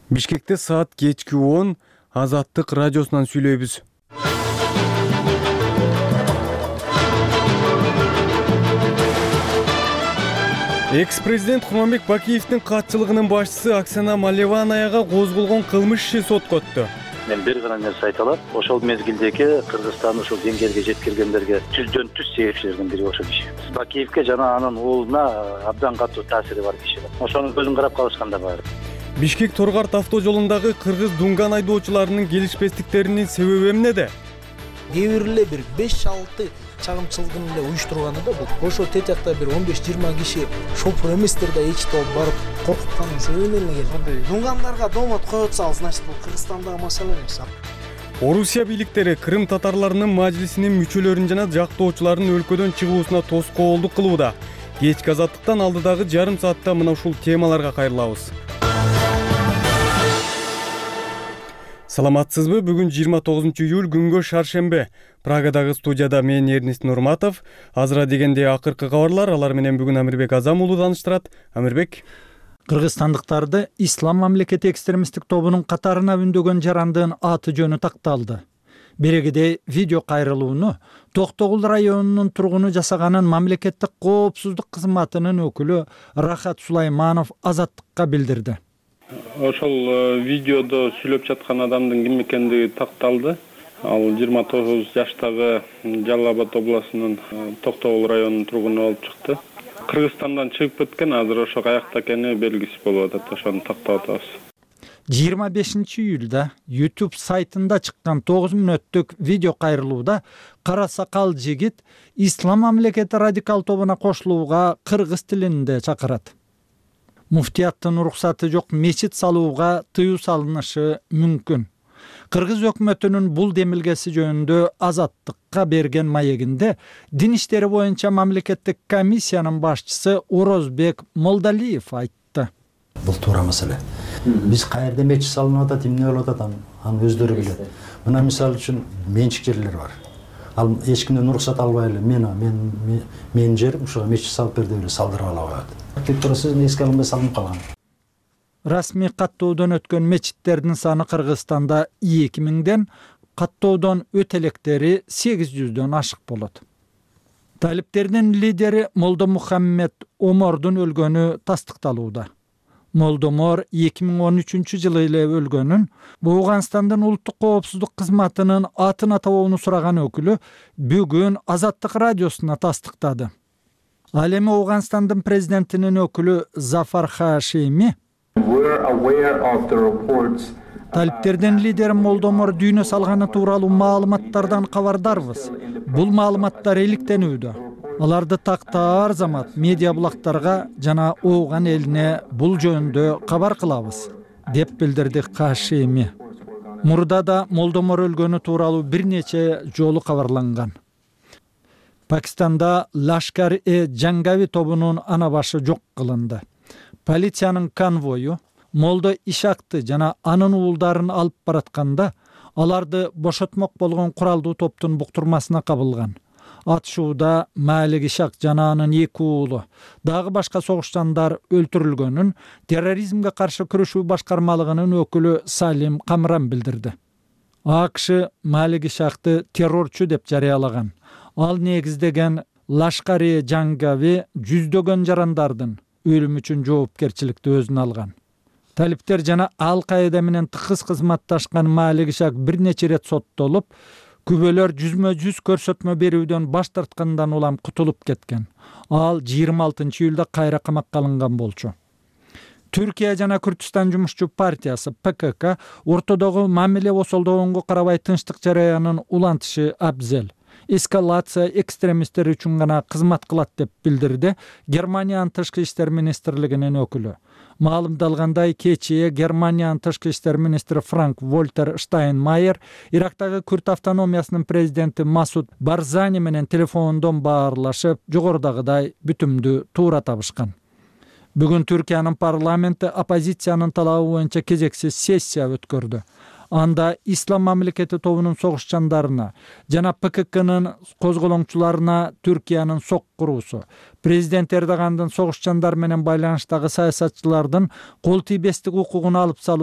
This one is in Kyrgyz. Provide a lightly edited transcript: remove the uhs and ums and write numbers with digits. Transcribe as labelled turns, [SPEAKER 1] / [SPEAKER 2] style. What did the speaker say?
[SPEAKER 1] Бишкекте саат кечки 10 Азаттык радиосунан сүйлөйбүз. Экс-президент Курманбек Бакиевдин катчылыгынын башчысы Оксана Малеванаяга козголгон кылмыш иши сотко өттү.
[SPEAKER 2] Мен бир гана нерсе айта алам. Ошол мезгилдеги Кыргызстан ушул деңгээлге жеткиргендерге жүздөн түз себепчилердин бири ошол киши. Бакиевге жана анын уулуна абдан катуу таасири бар киши. Ошонун көзүн карап калышкан да бар.
[SPEAKER 1] Бишкек Торгарт автожолундагы кыргыз дунган айдоочуларынын келишпестиктеринин себеби эмнеде?
[SPEAKER 3] Кээ бир эле бир 5-6 чагымчылыгын эле уюштурганы да бул. Ошо тетякта бир 15-20 киши шофер эместер да эчтеп барып коркутканын себебинен эле келет. Дунгандарга домот коюп атса, значит бул Кыргызстандагы маселе эмес.
[SPEAKER 1] Орусия бийликтери Крым татарларынын мажлисинин мүчөлөрүн жана жактоочуларын өлкөдөн чыгуусуна тоскоолдук кылууда. Кечки Азаттыктан алдыдагы жарым саатта мына ушул темаларга кайрылабыз. Саламатсызбы? Бүгүн 29-июль күнгө шаршембе. Прагадагы студияда мен Эрнест Нурматов. Азыра дегенде акыркы кабарлар, алар менен бүгүн Амирбек Азам уулу тааныштырат. Амирбек.
[SPEAKER 4] Кыргызстандыктарды Ислам мамлекети экстремисттик тобунун катарына үндөгөн жарандын аты жөнү такталды. Берегиде видео кайрылууну Токтогул районунун тургуну жасаганын мамлекеттик коопсуздук кызматынын өкүлү Рахат Сулайманов Азаттыкка билдирди.
[SPEAKER 5] Ошол видеодо сүйлөп жаткан адамдын ким экендиги такталды. Ал 29 жаштагы Жалал Абад областынын Токтогул районунун тургуну болуп чыкты. Кыргызстандан чыгып кеткен, азыр ошо каякта экени белгисиз болуп атат. Ошону тактап атабыз.
[SPEAKER 4] 25-июлда YouTube сайтында чыккан 9 мүнөттүк видео кайрылууда кара сакал жигит Ислам мамлекети радикал тобуна кошулууга кыргыз тилинде чакырат. Муфтияттын уруксаты жок мечит салууга тыюу салынышы мүмкүн. Кыргыз өкмөтүнүн бул демилгеси жөнүндө Азаттыкка берген маегинде дин иштери боюнча мамлекеттик комиссиянын башчысы Орозбек Молдалиев айтты.
[SPEAKER 6] Бул туура маселе. Биз каерде мечит салынып атат, эмне болуп атат, аны өздөрү билет. Мына мисалы үчүн менчик жерлер бар. Ал эч кимден уруксат албай эле менин жерим ушуга мечит салып бер деп эле салдырып ала коет. Тек турасыз эске алынбай салынып калган.
[SPEAKER 4] Расмий каттоодон өткөн мечиттердин саны Кыргызстанда 2000ден, каттоодон өтө электери 800дөн ашык болот. Талиптердин лидери Молдо Мухаммед Омордун өлгөнү тастыкталууда. Молдомор 2013-жылы эле өлгөнүн Ооганстандын улуттук коопсуздук кызматынын атын атабоону сураган өкүлү бүгүн Азаттык радиосуна тастыктады. Ал эми Ооганстандын президентинин өкүлү Зафар Хашими талиптердин лидери Молдомор дүйнө салганы тууралуу маалыматтардан кабардарбыз. Бул маалыматтар иликтенүүдө. Аларды тактаар замат медиа булактарга жана Ооган элине бул жөнүндө кабар кылабыз, деп билдирди Хашими. Мурда да Молдомор өлгөнү тууралуу бир нече жолу кабарланган. Пакистанда Лашкар-e-Жангави тобунун ана башы жок кылынды. Полициянын конвою Молдо Ишакты жана анын уулдарын алып баратканда аларды бошотмок болгон куралдуу топтун буктурмасына кабылган. Атышууда Малик Ишак жана анын 2 уулу, дагы башка согушчандар өлтүрүлгөнүн терроризмге каршы күрөшүү башкармалыгынын өкүлү Салим Камран билдирди. АКШ Малик Ишакты террорчу деп жарыялаган. Ал негиздеген Лашкар-e-Жангави жүздөгөн жарандардын өлүмү үчүн жоопкерчиликти өзүнө алган. Талиптер жана Ал-Каида менен тыгыз кызматташкан Малик Ишак бир нече рет соттолуп, күбөлөр жүзмө-жүз көрсөтмө берүүдөн баш тарткандан улам кутулуп кеткен. Ал 26-июлда кайра камакка алынган болчу. Түркия жана Күрдүстан жумушчу партиясы ПКК ортодогу мамиле осолдогонго карабай тынчтык жараянын улантышы абзел. Эскалация экстремисттер үчүн гана кызмат кылат деп билдирди Германиянын тышкы иштер министрлигинин өкүлү. Маалымдалгандай, кечээ Германиянын тышкы иштер министри Франк Вольтер Штайнмайер Ирактагы Күрд автономиясынын президенти Масуд Барзани менен телефондон баарлашып, жогорудагыдай бүтүмдү туура табышкан. Бүгүн Түркиянын парламенти оппозициянын талабы боюнча кезексиз сессия өткөрдү. Анда Ислам мамлекети тобунун согушчандарына жана ПККнын козголоңчуларына Түркиянын сок куруусу, президент Эрдогандын согушчандар менен байланыштагы саясатчылардын кол тийбестик укугун алып салуу